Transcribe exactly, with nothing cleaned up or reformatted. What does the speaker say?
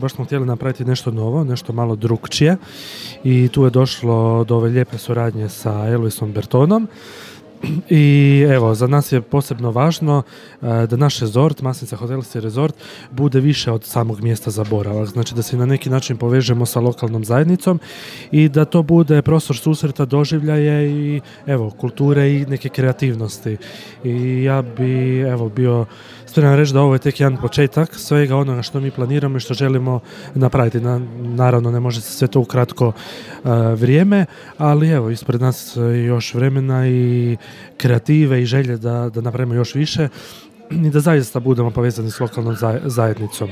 Baš smo htjeli napraviti nešto novo, nešto malo drukčije i tu je došlo do ove lijepe suradnje sa Elvisom Bertonom. I evo, za nas je posebno važno da naš rezort, Masnica hotelski rezort, bude više od samog mjesta za boravak. Znači da se na neki način povežemo sa lokalnom zajednicom i da to bude prostor susreta, doživljaje i evo, kulture i neke kreativnosti. I ja bi evo bio spreman reći da ovo je tek jedan početak svega onoga što mi planiramo i što želimo napraviti. Na, naravno ne može se sve to u kratko uh, vrijeme, ali evo, ispred nas još vremena i kreative i želje da, da napravimo još više i da zaista budemo povezani s lokalnom zajednicom.